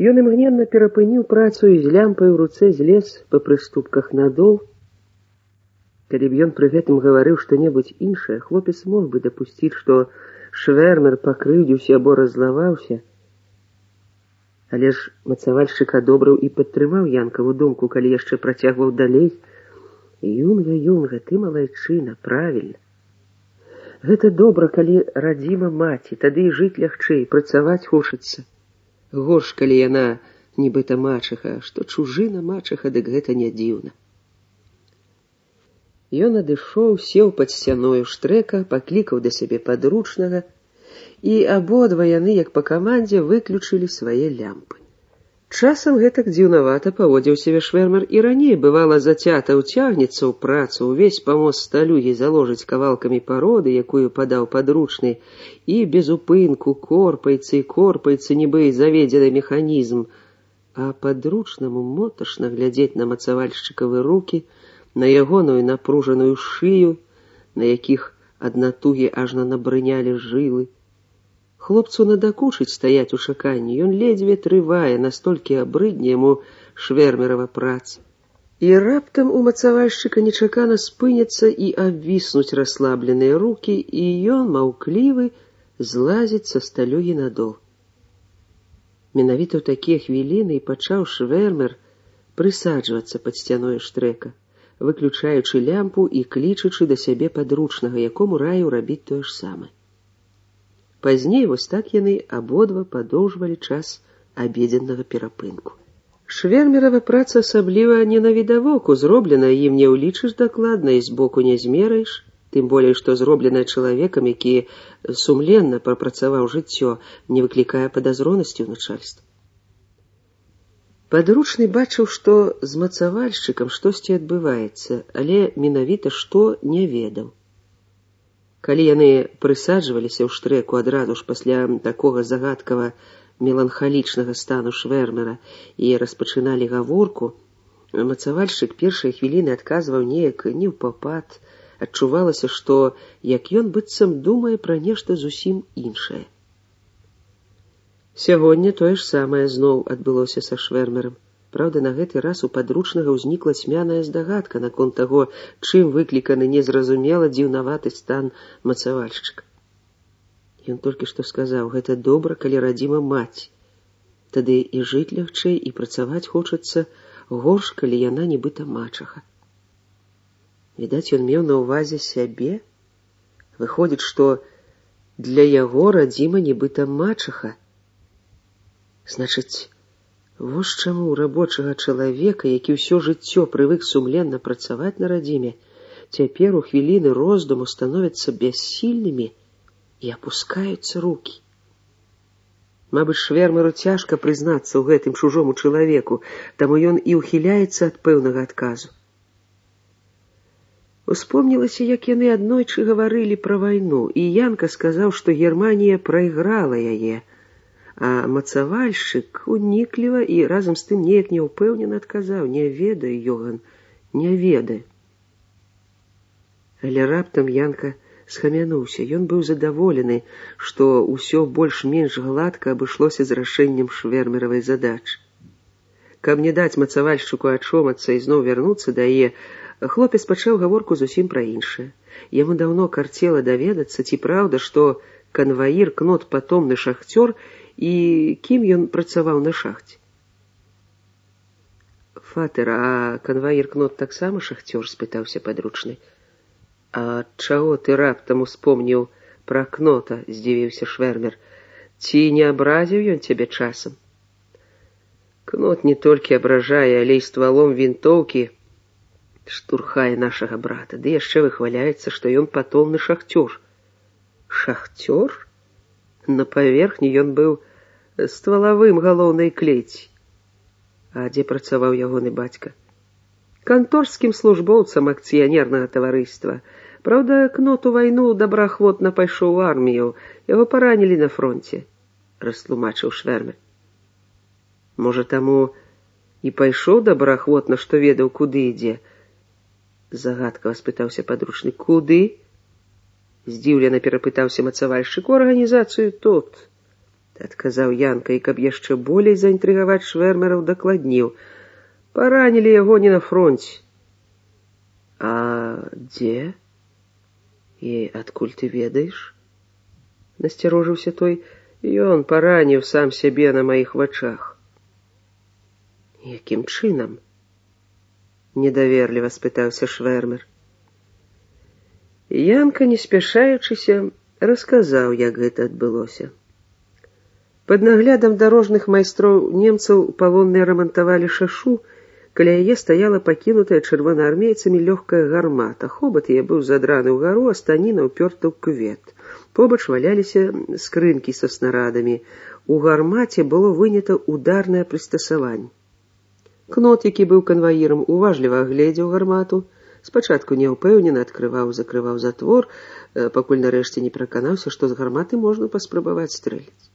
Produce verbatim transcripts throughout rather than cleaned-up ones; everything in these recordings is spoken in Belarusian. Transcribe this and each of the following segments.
Ён імгненна перапыніў працу і з лямпай у руцэ злез па прыступках надол. Калі б ён пры гэтым гаварыў што-небудзь іншае, хлопец мог бы дапусціць, што Швэрмер пакрыўдзіўся або раззлаваўся. Але ж мацавальшчык адобрыў і падтрымаў Янкаву думку, калі яшчэ працягваў далей. Юнга, юнга, ты малайчына, правільна. Гэта добра, калі радзіма маці, тады і жыць лягчэй, працаваць хочацца. Горш, калі яна нібыта мачыха, што чужына мачыха, дык гэта не дзіўна. Ён адышоў, сеў пад сцяною Штрека, паклікаў да сябе падручнага, і абодва яны, як па камандзе, выключылі свае лямпы. Часам гэтак дзіўнавата паводзіў сябе Швэрмер і раней, бывала, зацята ўцягнецца ў працу, увесь памост сталюгі заложыць кавалкамі пароды, якую падаў падручны, і без упынку корпаецца і корпаецца, нібы заведзены механізм, а падручнаму моташна глядзець на мацавальшчыкавы рукі, на ягоную напружаную шыю, на якіх ад натугі ажно набрынялі жылы. Хлопцу надакучыць стаяць у чаканні, ён ледзьве трывае, настолькі абрыдне яму Швэрмерава праца. І раптам у мацавальшчыка нечакана спыняцца і абвіснуць расслабленыя рукі, і ён, маўклівы, злазіць са сталюгі надол. Менавіта ў такія хвіліны і пачаў Швэрмер прысаджвацца пад сцяной Штрека, выключаючы лямпу і клічачы да сябе падручнага, якому раіў рабіць тое ж самае. Пазней вось так яны абодва падоўжвалі час абедзеннага перапынку. Швэрмерава праца асабліва не навідавоку, зроблена ім не ўлічыш дакладна і збоку не змераеш, тым болей, што зробленая чалавекам, які сумленна прапрацаваў жыццё, не выклікае падазронасці ў начальства. Падручны бачыў, што з мацавальшчыкам штосьці адбываецца, але менавіта што не ведаў. Калі яны прысаджваліся ў Штрэку адразу ж пасля такога загадкава меланхалічнага стану Швэрмера і распачыналі гаворку, мацавальшчык першыя хвіліны адказваў неяк неўпапад, адчувалася, што як ён быццам думае пра нешта зусім іншае. Сягоння тое ж самае зноў адбылося са Швэрмерам. Праўда, на гэты раз у падручнага ўзнікла цьмяная здагадка наконт таго, чым выкліканы незразумела дзіўнаваты стан мацавальшчыка. Ён толькі што сказаў, гэта добра, калі радзіма маці. Тады і жыць лягчэй, і працаваць хочацца, горш, калі яна нібыта мачаха. Відаць, ён меў на ўвазе сябе. Выходзіць, што для яго радзіма нібыта мачаха. Значыць, вось чаму у рабочага чалавека, які ўсё жыццё прывык сумленна працаваць на радзіме, цяпер у хвіліны роздуму становяцца бяссільнымі і апускаюцца рукі. Мабыць, Швэрмеру цяжка прызнацца ў гэтым чужому чалавеку, таму ён і ўхіляецца ад пэўнага адказу. Успомнілася, як яны аднойчы гаварылі пра вайну, і Янка сказаў, што Германія прайграла яе, а мацавальшчык унікліва і разам з тым неяк няўпэўнена адказаў: «Не ведаю, Йоган, не ведаю». Але раптам Янка схамянуўся. Ён быў задаволены, што ўсё больш-менш гладка абышлося з рашэннем Швэрмеравай задачы. Каб не даць мацавальшчыку ачомацца і зноў вярнуцца да яе, хлопец пачаў гаворку зусім пра іншае. Яму даўно карцела даведацца, ці праўда, што канваір Кнот патомны шахцёр, і кім ён працаваў на шахце. «Фатэр, а канваір Кнот таксама шахцёр?» – спытаўся падручны. «А чаго ты раптам успомніў пра Кнота?» – здзівіўся Швэрмер. «Ці не абразіў ён цябе часам?» «Кнот не толькі абражае, але і ствалом вінтоўкі штурхае нашага брата, ды яшчэ выхваляецца, што ён патомны шахцёр». «Шахцёр?» На паверхні ён быў ствалавым галоўнай клеці. А дзе працаваў ягоны бацька? Канторскім службоўцам акцыянернага таварыства. Праўда, Кнот у вайну добраахвотна пайшоў у армію, яго паранілі на фронце, растлумачыў Швэрмер. Можа, таму і пайшоў добраахвотна, што ведаў, куды ідзе? Загадкава спытаўся падручны. Куды? Здзіўлена перапытаўся мацавальшчык. У арганізацыю тут. адказаў Янка, і каб яшчэ болей заінтрыгаваць Швэрмера, дакладніў: паранілі яго не на фронце. А дзе? І адкуль ты ведаеш? Насцярожыўся той. Ён параніў сам сябе на маіх вачах. Якім чынам? Недаверліва спытаўся Швэрмер. Янка, не спяшаючыся, расказаў, як гэта адбылося. Пад наглядам дарожных майстроў немцаў палонныя рамантавалі шашу, каля яе стаяла пакінутая чырвонаармейцамі лёгкая гармата. Хобат яе быў задраны ўгару, а станіна ўпёрта ў кювет. Побач валяліся скрынкі са снарадамі. У гармаце было вынята ударнае прыстасаванне. Кнот, які быў канваірам, уважліва агледзеў гармату. Спачатку няўпэўнена адкрываў-закрываў затвор, пакуль нарэшце не пераканаўся, што з гарматы можна паспрабаваць стрэліць.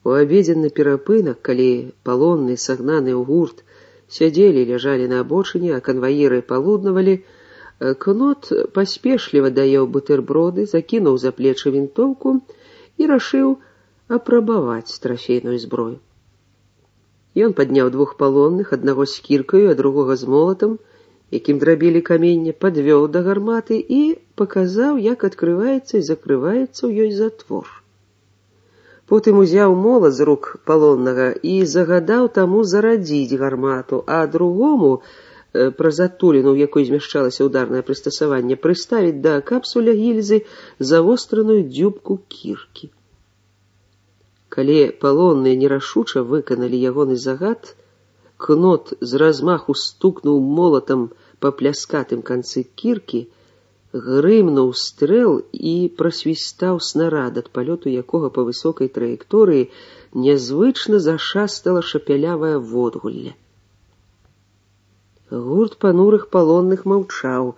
У абедзенны перапынак, калі палонныя, сагнаныя ў гурт, сядзелі, ляжалі на абочыне, а канваіры палуднавалі, Кнот паспешліва даеў бутэрброды, закінуў за плечы вінтоўку і рашыў апрабаваць трафейную зброю. Ён падняў двух палонных, аднаго з кіркаю, а другога з молатам, якім драбілі каменне, падвёў да гарматы і паказаў, як адкрываецца і закрываецца ў ёй затвор. Потым узяў молат з рук палоннага і загадаў таму зарадзіць гармату, а другому праз адтуліну, у якой змяшчалася ударнае прыстасаванне, прыставіць да капсуля гільзы завостраную дзюбку кіркі. Калі палонныя нерашуча выканалі ягоны загад, Кнот з размаху стукнуў молатам па пляскатым канцы кіркі, грымнуў стрэл і прасвістаў снарад, ад палёту якога па высокай траекторыі нязвычна зашастала шапялявае водгулле. Гурт панурых палонных маўчаў,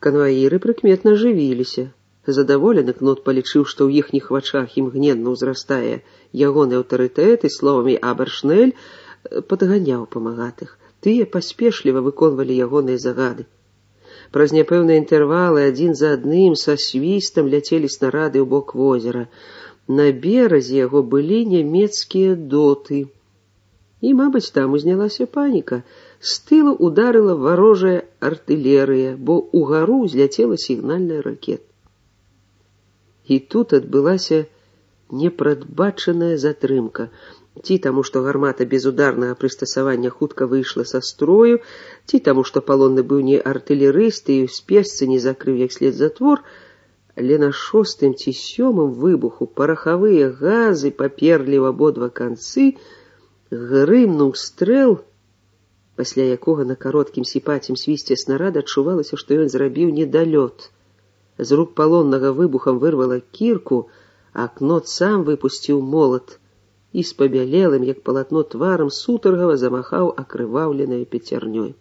канваіры прыкметна жывіліся. Задаволены Кнот палічыў, што ў іхніх вачах імгненна ўзрастае ягоны аўтарытэт, і словамі «Абершнель» падганяў памагатых. Тыя паспешліва выконвалі ягоныя загады. Праз няпэўныя інтэрвалы адзін за адным са свістам ляцелі снарады ў бок возера. На беразе яго былі нямецкія доты. І, мабыць, там узнялася паніка. З тылу ударыла варожая артылерыя, бо ўгару узляцела сігнальная ракета. І тут адбылася непрадбачаная затрымка. Ці таму, што гармата без ударнага прыстасавання хутка выйшла са строю, ці таму, што палонны быў не артылерыст і ў спешцы не закрыў як след затвор, але на шостым ці сёмым выбуху парахавыя газы паперлі ў абодва канцы, грымнуў стрэл, пасля якога на кароткім сіпацім свісце снарада адчувалася, што ён зрабіў недалёт. З рук палоннага выбухам вырвала кірку, а Кнот сам выпусціў молат і з пабялелым, як палатно тварам, сутаргава замахаў акрываўленай пяцярнёй.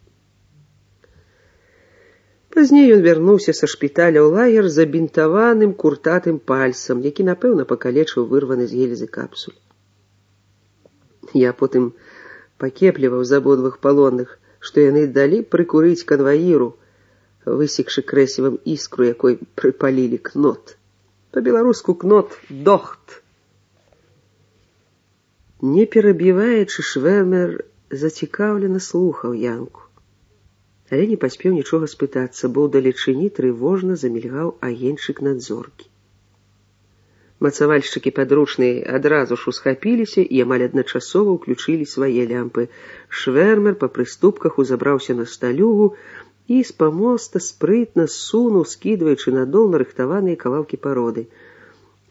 Пазней ён вярнуўся са шпіталя ў лагер забінтаваным куртатым пальцам, які, напэўна, пакалечыў вырваны з гільзы капсуль. Я потым пакепліваў з абодвух палонных, што яны далі прыкурыць канваіру, высекшы крэсівам іскру, якой прыпалілі Кнот. Па-беларуску Кнот дохт. Не перабіваючы, Швэрмер зацікаўлена слухаў Янку. Але не паспеў нічога спытацца, бо ўдалечыні трывожна замільгаў агеньчык надзоркі. Мацавальшчыкі падручныя адразу ж усхапіліся і амаль адначасова ўключылі свае лямпы. Швэрмер па прыступках узабраўся на сталюгу і з памоста спрытна сунуў, скідваючы на дол нарыхтаваныя кавалкі пароды.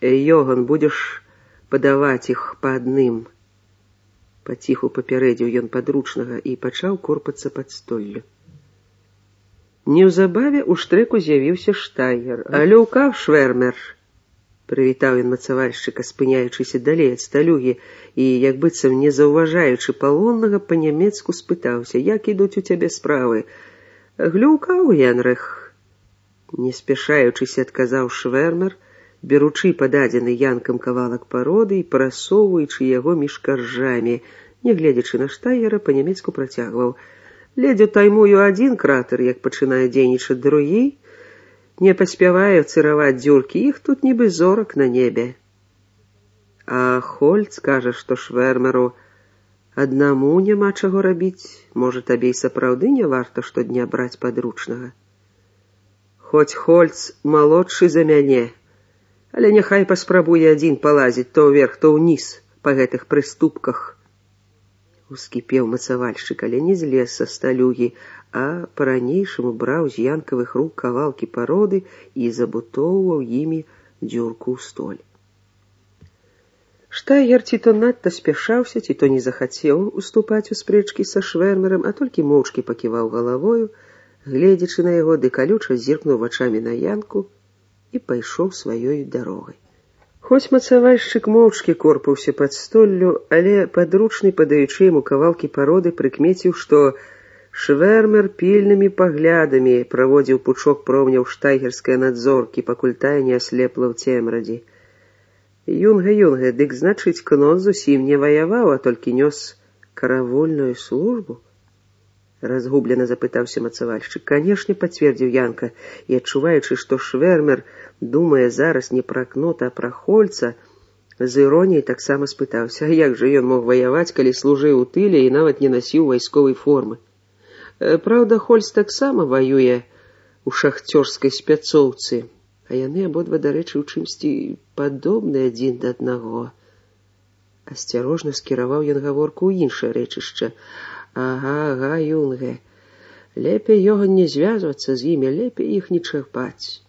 «Йоган, будзеш падаваць іх па адным». Паціху папярэдзіў ён падручнага і пачаў корпацца пад столлю. Неўзабаве ў штрэку з'явіўся Штайгер. «Алёўка, Швэрмер!» Прывітаў ён мацавальшчыка, спыняючыся далей ад сталюгі, і, як быццам не заўважаючы палоннага, па-нямецку спытаўся: «Як ідуць у цябе справы?» «Глюкаў, Генрых!» Не спяшаючыся, адказаў Швэрмер, беручы пададзены Янкам кавалак пароды і прасоўваючы яго між каржамі. Нягледзячы на Штайгера, па-нямецку працягваў: «Ледзь утаймую адзін кратер, як пачынае дзейнічаць другі. Не паспяваю цыраваць дзюркі, іх тут нібы зорак на небе». А Хольц кажа, што Швэрмеру аднаму няма чаго рабіць. Можа, табе і сапраўды не варта штодня браць падручнага. Хоць Хольц малодшы за мяне, але няхай паспрабуе адзін палазіць то ўверх, то ўніз па гэтых прыступках. Ускіпеў мацавальшчык, але не злез са сталюгі, а па-ранейшаму браў з янкавых рук кавалкі пароды і забутоўваў імі дзюрку ў столь. Штайгер ці то надта спяшаўся, ці то не захацеў уступаць у спрэчкі са Швэрмерам, а толькі моўчкі паківаў галавою, гледзячы на яго, ды калюча зіркнуў вачамі на янку і пайшоў сваёй дарогай. Хоць мацавальшчык моўчкі корпаўся пад столлю, але падручны, падаючы яму кавалкі пароды, прыкмеціў, што Швэрмер пільнымі паглядамі праводзіў пучок промняў штайгерскай надзоркі, пакуль тая не аслепла ў цемрадзі. Юнга, юнга, дык значыць, кнот зусім не ваяваў, а толькі нёс каравольную службу? Разгублена запытаўся мацавальшчык. Канешне, пацвердзіў Янка, і адчуваючы, што Швэрмер думае зараз не пра кнота, а пра Хольца, з іроніяй таксама спытаўся, а як жа ён мог ваяваць, калі служыў у тыле і нават не насіў вайсковай формы. Праўда, Хольц таксама ваюе у шахцёрскай спяцоўцы, а яны абодва, дарэчы, у чымсьці падобны адзін да аднаго. Асцярожна скіраваў ён гаворку ў іншае рэчышча. Ага, ага, юнга, лепей його не звязвацца з імі, лепей іх не чапаць.